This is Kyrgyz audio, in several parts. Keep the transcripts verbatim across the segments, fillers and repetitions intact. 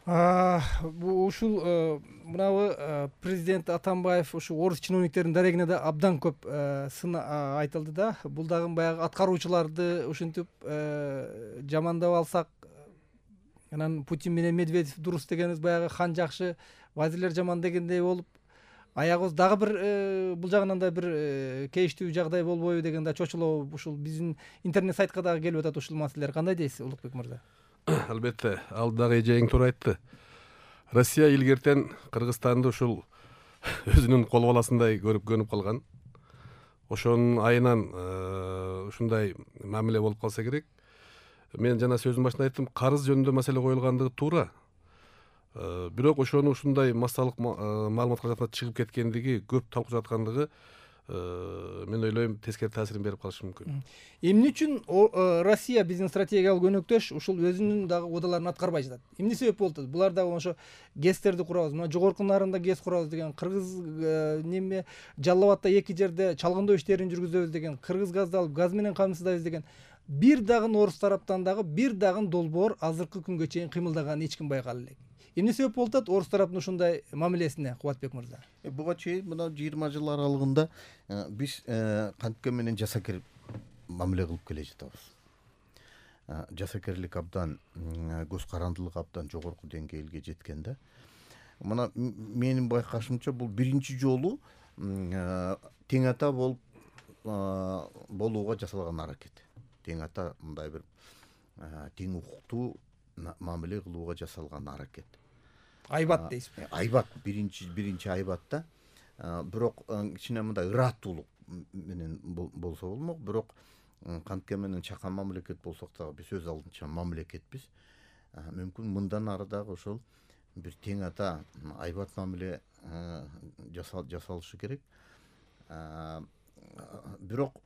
Ушул мынабы президент Атамбаев ушу орус чиновниктеринин дарегине да абдан көп сын айтылды да. Бул дагы баягы аткаруучуларды ушинтип жамандап алсак, анан Путин менен Медведев дурус дегенибиз баягы хан жакшы, вазирлер жаман дегендей болуп, аягыбыз дагы бир бул жагынан да бир кейиштүү жагдай болбойбу деген да чочулоо ушул биздин интернет сайтка дагы келип атат ушул маселелер. Кандай дейсиз, Улукбек мырза? Албетте, ал дагы эжең туура айтты. Россия илгертен Кыргызстанды ушул өзүнүн кол баласындай көрүп көнүп калган. Ошонун айынан ушундай мамиле болуп калса керек. Мен жана сөзүм башында айттым, карыз жөнүндө маселе коюлгандыгы туура. Бирок ошону ушундай массалык маалымат каражатына чыгып кеткендиги, көп талкуу жаткандыгы мен ойлойм тескери таасирин берип калышы мүмкүн. Эмне үчүн Россия биздин стратегиялык өнөктөш ушул өзүнүн дагы убадаларын аткарбай жатат? Эмне себеп болуп атат? Булар дагы ошо гэстерди курабыз, мына жогорку нарында гэс курабыз деген, кыргыз неме Жалал абадда эки жерде чалгындоо иштерин жүргүзөбүз деген, кыргыз газды алып газ менен камсыздайбыз деген. Бир дагы орус тараптан дагы бир дагы долбоор азыркы күнгө чейин кыймылдаганын эч ким байкала элек. Эмне себеп болуп атат орус тараптын ушундай мамилесине, Кубатбек мырза? Буга чейин мына жыйырма жыл аралыгында биз кантке менен жасакер мамиле кылып келе жатабыз. Жасакерлик абдан, көз карандылык абдан жогорку деңгээлге жеткен да. Мына менин байкашымча бул биринчи жолу тең ата болуп болууга жасалган аракет. Тең ата мындай бир тең укуктуу мамиле кылууга жасалган аракет. Айбат дейсизби? Айбат биринчи биринчи айбатта. Бирок кичине мындай ыраттуулук менен болсо болмок, бирок кантке менен чакан мамлекет болсок дагы биз өз алдынча мамлекетпиз. Мүмкүн мындан ары дагы ошол бир тең ата айбат мамиле жасалышы керек. Бирок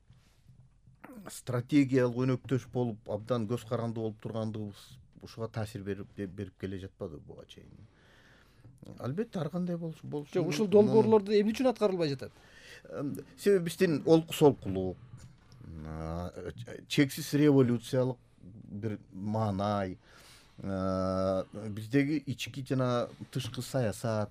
стратегиялык өнөктөш болуп абдан көз каранды болуп тургандыгыбыз ушуга таасир берип берип келе жатпады буга чейин. Албетте ар кандай болуш болуш. Жок, ушул долбоорлорду эмне үчүн аткарылбай жатат? Себеби биздин олку солкулук, чексиз революциялык бир маанай, биздеги ички жана тышкы саясат,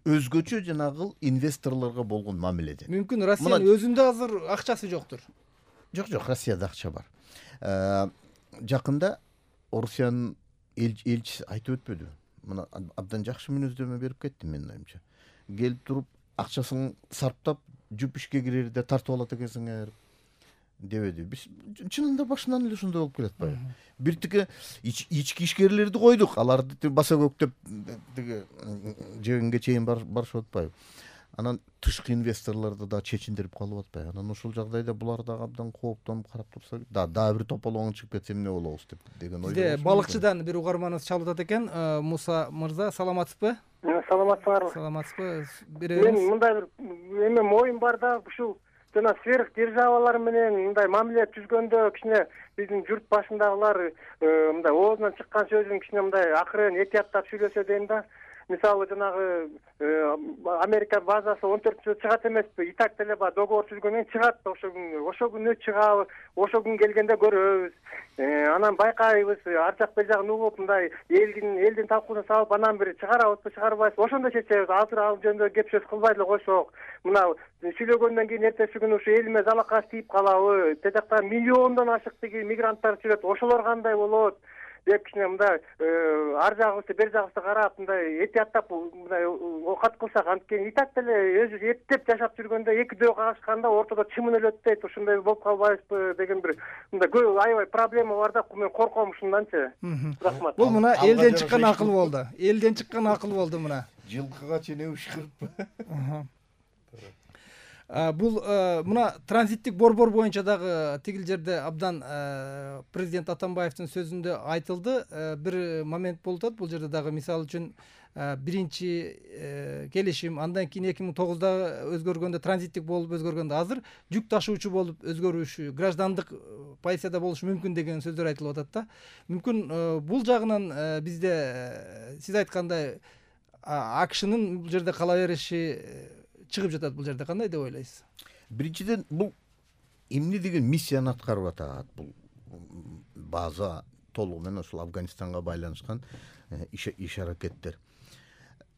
өзгөчө жанагы инвесторлорго болгон мамиледен. Мүмкүн Россиянын өзүндө азыр акчасы жоктур. Жок, жок, Россияда акча бар. Жакында Орусиянын элчиси айтып өтпөдү. Мына абдан жакшы мүнөздөмө берип кетти менин оюмча. Келип туруп акчасын сарптап жүп ишке кирерде тартып алат экенсиңер дебеди. Биз чынында башынан эле ошондой болуп келет атпайбы? Бир тике ички ишкерлерди койдук, аларды баса көктөп тиги жегенге чейин барышып атпайбы? Анан тышкы инвесторлорду да чечиндирип калып атпайбы? Анан ошол жагдайда булар дагы абдан кооптонуп карап турса, да дагы бир тополоң чыгып кетсе эмне болобуз деп деген ой. Бизде балыкчыдан бир угарманыбыз чалып атат экен. Муса мырза, саламатсызбы? Саламатсыздарбы? Саламатсызбы? Мен мындай бир эме оюм бар да, ушул жана сверх державалар менен мындай мамиле түзгөндө кичине биздин журт башындагылар мындай оозунан чыккан сөзүн кичине мындай акырын этияттап сүйлөсө дейм да. Мисалы жанагы Америка базасы он төртүнчү чыгат эмеспи? И так деле ба договор түзгөндөн чыгат да, ошо күн ошо күнү чыгабы, ошо күн келгенде көрөбүз. Анан байкайбыз, ар жак бер жагын угуп мындай элдин элдин талкуусуна салып анан бир чыгарабызбы, чыгарбайбызбы, ошондо чечебиз. Азыр ал жөнүндө кеп сөз кылбай эле койсок, мына сүйлөгөндөн кийин эртеси күнү ушу элиме залакаш тийип калабы, те жакта миллиондон ашык тиги мигранттар жүрөт, ошолор кандай болот деп кичине мындай ар жагыбызды бер жагыбызды карап мындай этияттап мындай окат кылсак, анткени и так деле өзү эптеп жашап жүргөндө экидөө кагышканда ортодо чымын өлөт дейт, ушундай болуп калбайбызбы деген бир мындай көп аябай проблема бар да, мен корком ушунданчы. Рахмат. Бул мына элден чыккан акыл болду. Элден чыккан акыл болду мына. Жылкыга чейин ушкырып. Бул мына транзиттик борбор боюнча дагы тигил жерде абдан президент Атамбаевдин сөзүндө айтылды. Бир момент болуп атат. Бул жерде дагы мисалы үчүн биринчи келишим, андан кийин эки миң тогузда өзгөргөндө транзиттик болуп өзгөргөндө азыр жүк ташуучу болуп өзгөрүшү, граждандык позицияда болушу мүмкүн деген сөздөр айтылып атат да. Мүмкүн бул жагынан бизде сиз айткандай акшнын бул жерде кала бериши чыгып жатат, бул жерде кандай деп ойлойсуз? Биринчиден бул эмне деген миссияны аткарып атат? Бул база толугу менен ушул Афганистанга байланышкан иш аракеттер.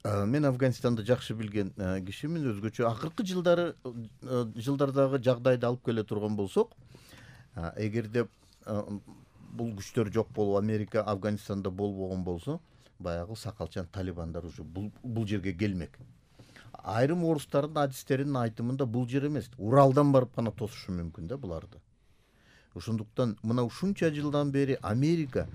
Мен Афганистанды жакшы билген кишимин. Өзгөчө акыркы жылдары жылдардагы жагдайды алып келе турган болсок, эгерде бул күчтөр жок болуп Америка Афганистанда болбогон болсо, баягы сакалчан талибандар уже бул бул жерге келмек. Айрым орустардын адистеринин айтымында бул жер эмес, Уралдан барып гана тосушу мүмкүн да буларды. Ошондуктан мына ушунча жылдан бери Америка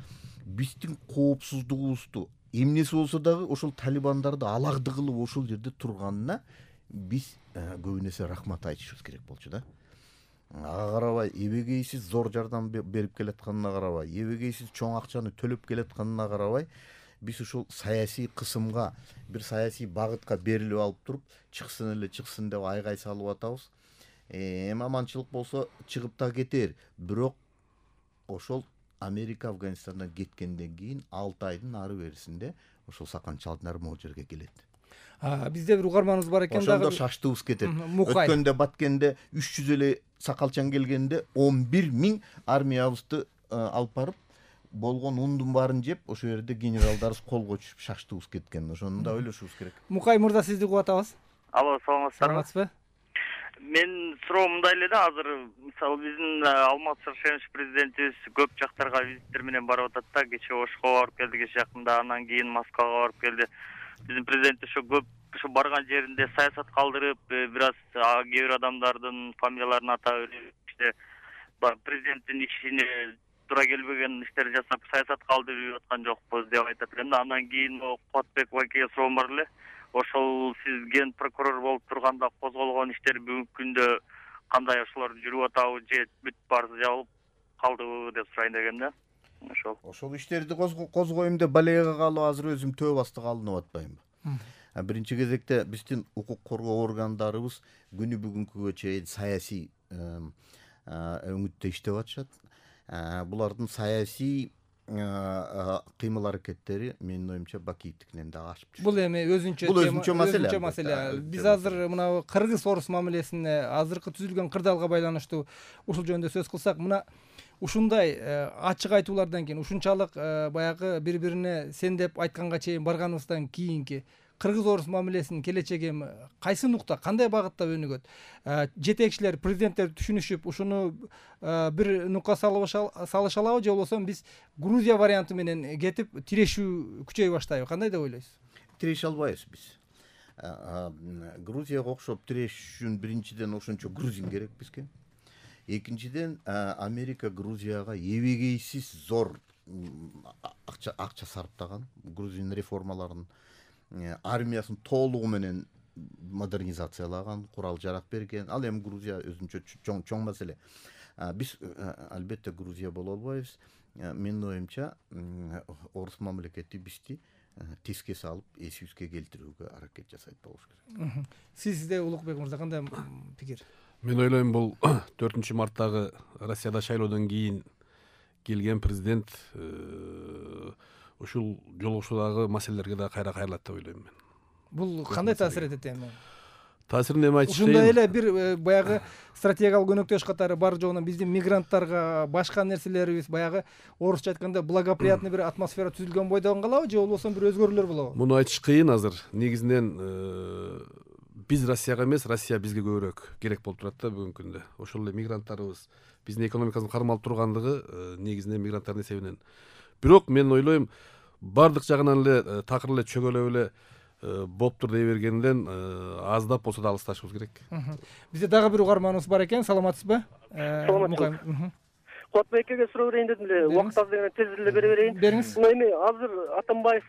биздин коопсуздугубузду эмнеси болсо дагы ошол талибандарды алагды кылып ошол жерде турганына биз көп нерсе рахмат айтышыбыз керек болчу да. Ага карабай, эбегейсиз зор жардам берип келатканына карабай, эбегейсиз чоң акчаны төлөп келатканына карабай, биз ушул саясий кысымга, бир саясий багытка берилип алып туруп, чыксын эле чыксын деп айгай салып атабыз. Эми аманчылык болсо чыгып да кетер. Бирок ошол Америка Афганистандан кеткенден кийин алты айдын ары берисинде ошол саканчалдар могу жерге келет. Бизде бир угарманыбыз бар экен дагы. Ошондо шаштыбыз кетет. Өткөндө Баткенде үч жүз эле сакалчан келгенде он бир миң армиябызды алып барып болгон ундун баарын жеп, ошо жерде генералдарыбыз колго түшүп шаштыбыз кеткен. Ошону да ойлошубуз керек. Мукай мырза, сизди угуп атабыз. Алло, саламатсыздарбы? Саламатсызбы? Мен суроо мындай эле да, азыр мисалы биздин Алмаз Шаршенович президентибиз көп жактарга визиттер менен барып атат да. Кече Ошко барып келди, кече жакында, анан кийин Москвага барып келди. Биздин президент ошо көп ошо барган жеринде саясат калтырып, бир аз кээ бир адамдардын фамилияларын атап берип, иште президенттин ишине туура келбеген иштерди жасап, саясат калтырып аткан жокпуз деп айтат экен да. Андан кийин Кубатбек байкеге суроом бар эле. Ошол сиз ген прокурор болуп турганда козголгон иштер бүгүнкү күндө кандай, ошолор жүрүп атабы же бүт баары жабылып калдыбы деп сурайын деген да. Ошол. Ошол иштерди козгоюм деп балега калып азыр өзүм төө бастыга алынып атпаймынбы? Биринчи кезекте биздин укук коргоо органдарыбыз күнү бүгүнкүгө чейин саясий өңүттө иштеп атышат. Булардын саясий кыймыл аракеттери менин оюмча Бакиевдикинен да ашып түшүп. Бул эми өзүнчө бул өзүнчө маселе. Өзүнчө маселе. Биз азыр мына кыргыз орус мамилесине, азыркы түзүлгөн кырдаалга байланыштуу ушул жөнүндө сөз кылсак, мына ушундай ачык айтуулардан кийин, ушунчалык баягы бири-бирине сен деп айтканга чейин барганыбыздан кийинки кыргыз-орус мамилесинин келечеги эми кайсы нукта, кандай багытта өнүгөт? Жетекчилер, президенттер түшүнүшүп, ушуну бир нукка салыша алабы, же болбосо биз Грузия варианты менен кетип тирешүү күчөй баштайбы? Кандай деп ойлойсуз? Тиреше албайбыз биз. Грузияга окшоп тирешүү үчүн биринчиден ошончо грузин керек бизге. Экинчиден Америка Грузияга эбегейсиз зор акча акча сарптаган, грузин реформаларын, армиясын толугу менен модернизациялаган, курал жарак берген. Ал эми Грузия өзүнчө чоң чоң маселе. Биз албетте Грузия боло албайбыз. Менин оюмча орус мамлекети бизди теске салып, эсибизге келтирүүгө аракет жасайт болуш керек. Сизде Улукбек мырза кандай пикир? Мен ойлойм, бул төртүнчү марттагы Россияда шайлоодон кийин келген президент ушул жолугушуудагы маселелерге да кайра кайрылат деп ойлойм мен. Бул кандай таасир этет эми? Таасирин эми айтыш дейм. Ушундай эле бир баягы стратегиялык өнөктөш катары бар жогунан биздин мигранттарга башка нерселерибиз баягы орусча айтканда благоприятный бир атмосфера түзүлгөн бойдон калабы, же болбосо бир өзгөрүүлөр болобу? Муну айтыш кыйын азыр. Негизинен биз Россияга эмес, Россия бизге көбүрөөк керек болуп турат да бүгүнкү күндө. Ошол эле мигранттарыбыз биздин экономикабыздын кармалып тургандыгы негизинен мигранттардын эсебинен. Бирок мен ойлойм, бардык жагынан эле такыр эле чөгөлөп эле болуптур дей бергенден аздап болсо да алысташыбыз керек. Бизде дагы бир угарманыбыз бар экен. Саламатсызбы? Саламатсызбы. Кубатбекке суроо берейин дедим эле. Убакыт аз дегенде тез эле бере берейин. Бериңиз. Эми азыр Атамбаев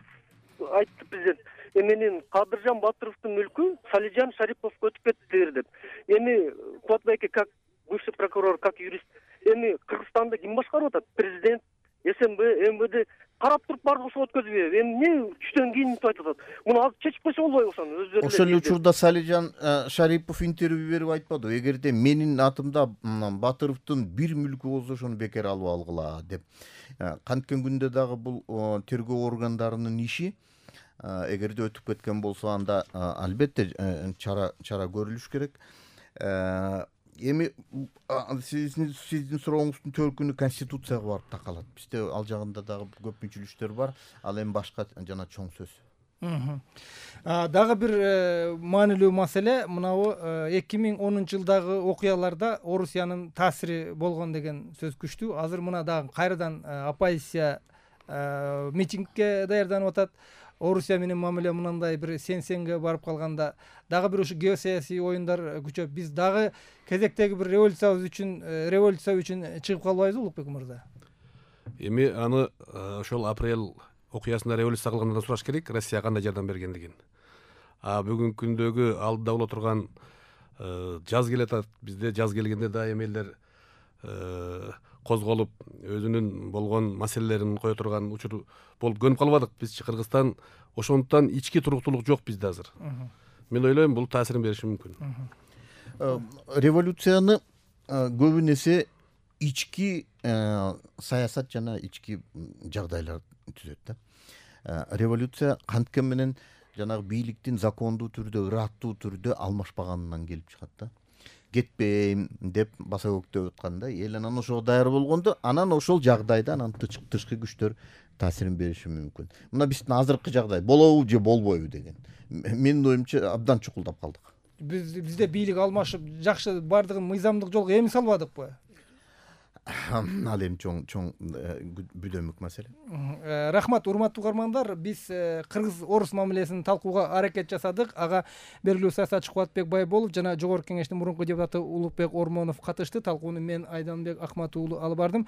айтты президент. Менин Кадыржан Батыровдун мүлкү Салижан Шариповго өтүп кетти деп. Эми Кубатбекке как бывший прокурор, как юрист, эми Кыргызстанды ким башкарып атат? Президент, СМБ, МВД карап туруп барды ошо өткөзбөйбү. Эми эмне түштөн кийин айтып атат? Муну азыр чечип койсо болбойбу ошону? Өздөрү ошол эле учурда Салижан Шарипов интервью берип айтпады. Эгерде менин атымда Батыровдун бир мүлкү болсо ошону бекер алып алгыла деп. Канткен күндө дагы бул тергөө органдарынын иши. Эгерде өтүп кеткен болсо анда албетте чара чара көрүлүш керек. эми сиздин сиздин сурооңуздун төркүнү конституцияга барып такалат. Бизде ал жагында дагы көп мүнчүлүктөр бар. Ал эми башка жана чоң сөз. Дагы бир маанилүү маселе мынабу эки миң онунчу жылдагы окуяларда Орусиянын таасири болгон деген сөз күчтүү. Азыр мына дагы кайрадан оппозиция митингге даярданып атат. Орусия менен мамиле мындай бир сен-сенге барып калганда дагы бир ушу геосаясий оюндар күчөп, биз дагы кезектеги бир революциябыз үчүн революция үчүн чыгып калбайбызбы, Улукбек мырза? Эми аны ошол апрель окуясында революция кылгандан сураш керек, Россия кандай жардам бергендигин. А бүгүнкү күндөгү алдыда боло турган жаз келатат. Бизде жаз келгенде дайым элдер козголуп өзүнүн болгон маселелерин кое турган учур болуп көнүп калбадык. Бизчи Кыргызстан ошондуктан ички туруктуулук жок бизде азыр. Мен ойлойм бул таасирин бериши мүмкүн. Революцияны көбүнесе ички саясат жана ички жагдайлар түзөт да. Революция канткен менен жанагы бийликтин закондуу түрдө, ыраттуу түрдө алмашпаганынан келип чыгат да. Кетпейм деп баса көктөп атканда, эл анан ошого даяр болгондо, анан ошол жагдайда анан тышкы күчтөр таасирин бериши мүмкүн. Мына биздин азыркы жагдай болобу же болбойбу деген. Менин оюмча абдан чукулдап калдык. Биз бизде бийлик алмашып, жакшы бардыгын мыйзамдык жолго эми салбадыкпы? Ал эми чоң чоң бүдөмүк маселе. Рахмат, урматтуу угармандар. Биз кыргыз орус мамилесин талкууга аракет жасадык. Ага белгилүү саясатчы Кубатбек Байболов жана Жогорку Кеңештин мурунку депутаты Улукбек Ормонов катышты. Талкууну мен Айданбек Акматов уулу алып бардым.